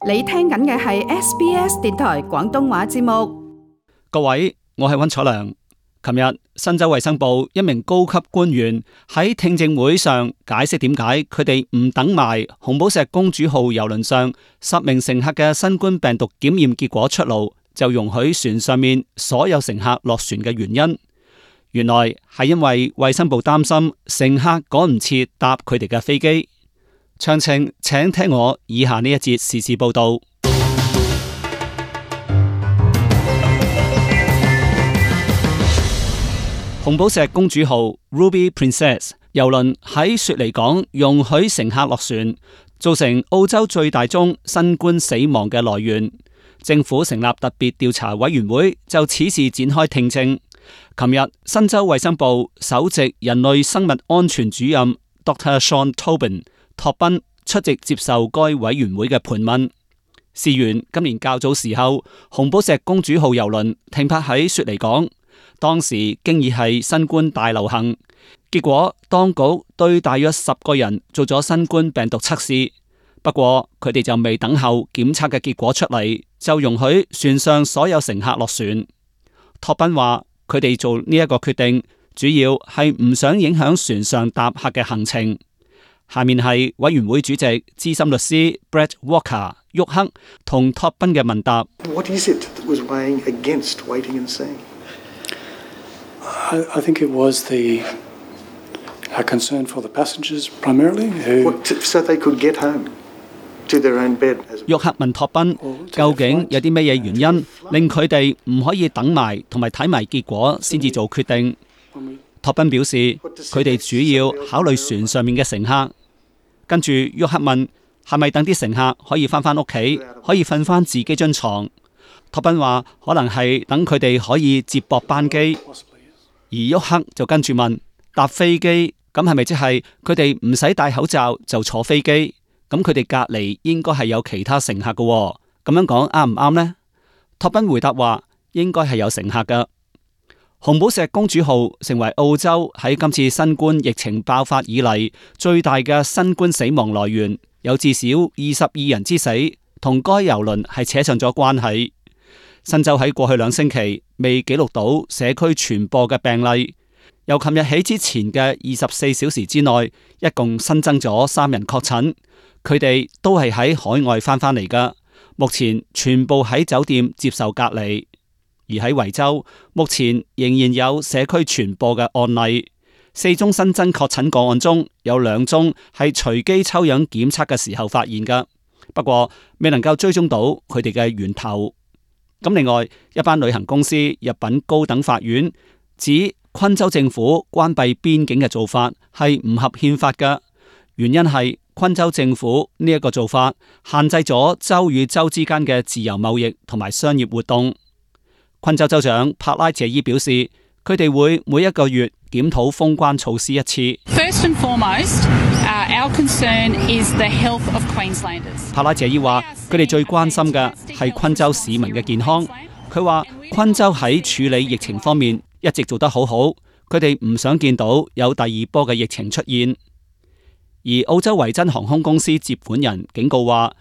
你聽緊嘅係 SBS 電台廣東話節目。各位，我係溫楚良。琴日，新州衛生部一名高級官員喺聽證會上解釋點解佢哋唔等埋紅寶石公主號郵輪上10名乘客嘅新冠病毒檢驗結果出爐，就容許船上面所有乘客落船嘅原因。原來係因為衛生部擔心乘客趕唔切搭佢哋嘅飛機。詳情請聽我以下呢一節時事報道。紅寶石公主號 Ruby Princess 郵輪喺雪梨港容許乘客落船，造成澳洲最大宗新冠死亡嘅來源。政府成立特別調查委員會就此事展開聽證。琴日，新州衛生部首席人類生物安全主任 Dr. Sean Tobin 托賓出席接受該委員會嘅盤問。事緣今年較早時候，紅寶石公主號郵輪停泊喺雪梨港，當時經已係新冠大流行，結果當局對大約10個人做咗新冠病毒測試，不過佢哋就未等候檢測嘅結果出嚟，就容許船上所有乘客落船。托賓話佢哋做呢一個決定，主要係唔想影響船上搭客嘅行程。下面係委員會主席資深律師 Brett Walker 沃克同托賓嘅問答。What is it that was weighing against waiting and seeing? I think it was the concern for the passengers primarily, so they could get home to their own bed. 沃克問托賓，究竟有啲咩嘢原因令佢哋唔可以等埋同埋睇埋結果先至做決定？托賓表示，佢哋主要考慮船上面嘅乘客。跟住沃克問，係咪等啲乘客可以返屋企，可以瞓返自己張床？托賓話，可能係等佢哋可以接駁班機。而沃克就跟住問，搭飛機咁係咪即係佢哋唔使戴口罩就坐飛機？咁佢哋隔籬應該係有其他乘客㗎喎，咁樣講啱唔啱呢？托賓回答話，應該係有乘客㗎。紅寶石公主號成為澳洲喺今次新冠疫情爆發以嚟最大嘅新冠死亡來源，有至少22人之死，同該郵輪係扯上咗關係。新州喺過去2星期未記錄到社區傳播嘅病例，由琴日起之前嘅24小時之內，一共新增咗3人確診，佢哋都係喺海外返嚟㗎，目前全部喺酒店接受隔離。而喺維州，目前仍然有社區傳播嘅案例，4宗新增確診個案中有2宗係隨機抽樣檢測嘅時候發現㗎，不過未能夠追蹤到佢哋嘅源頭。咁另外，一班旅行公司入稟高等法院，指昆州政府關閉邊境嘅做法係唔合憲法嘅，原因係昆州政府呢一個做法限制咗州與州之間嘅自由貿易同埋商業活動。昆州州長帕拉謝伊表示，佢哋會每一個月檢討封關措施一次。First and foremost, our concern is the health of Queenslanders. 帕拉謝伊話，佢哋最關心嘅係昆州市民嘅健康。佢話昆州喺處理疫情方面一直做得好好，佢哋唔想見到有第2波嘅疫情出現。而澳洲維珍航空公司接管人警告話，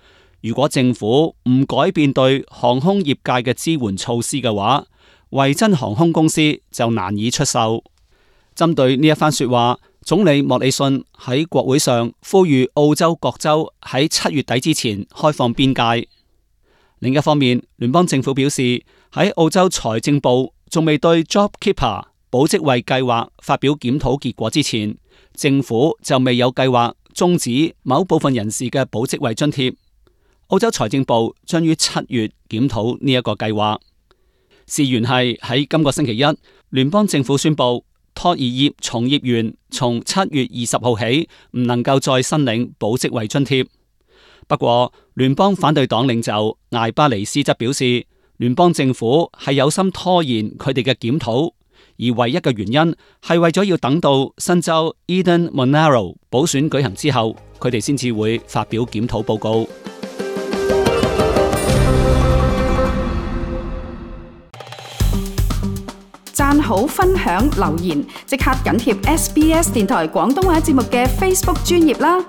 如果政府唔改變對航空業界嘅支援措施嘅話，維珍航空公司就難以出售。針對呢一番說話，總理莫里遜喺國會上呼籲澳洲各州喺7月底之前開放邊界。另一方面，聯邦政府表示，喺澳洲財政部仲未對 JobKeeper 保職位計劃發表檢討結果之前，政府就未有計劃終止某部分人士嘅保職位津貼。澳洲財政部將於7月檢討呢一個計劃。事緣係喺今個星期一，聯邦政府宣布托兒業從業員從7月20號起唔能夠再申領保職位津貼。不過，聯邦反對黨領袖艾巴尼斯則表示，聯邦政府係有心拖延佢哋嘅檢討，而唯一嘅原因係為咗要等到新州 Eden Monaro 補選舉行之後，佢哋先至會發表檢討報告。讚好、分享、留言，即刻緊貼SBS 電台廣東話節目嘅 Facebook 專頁啦！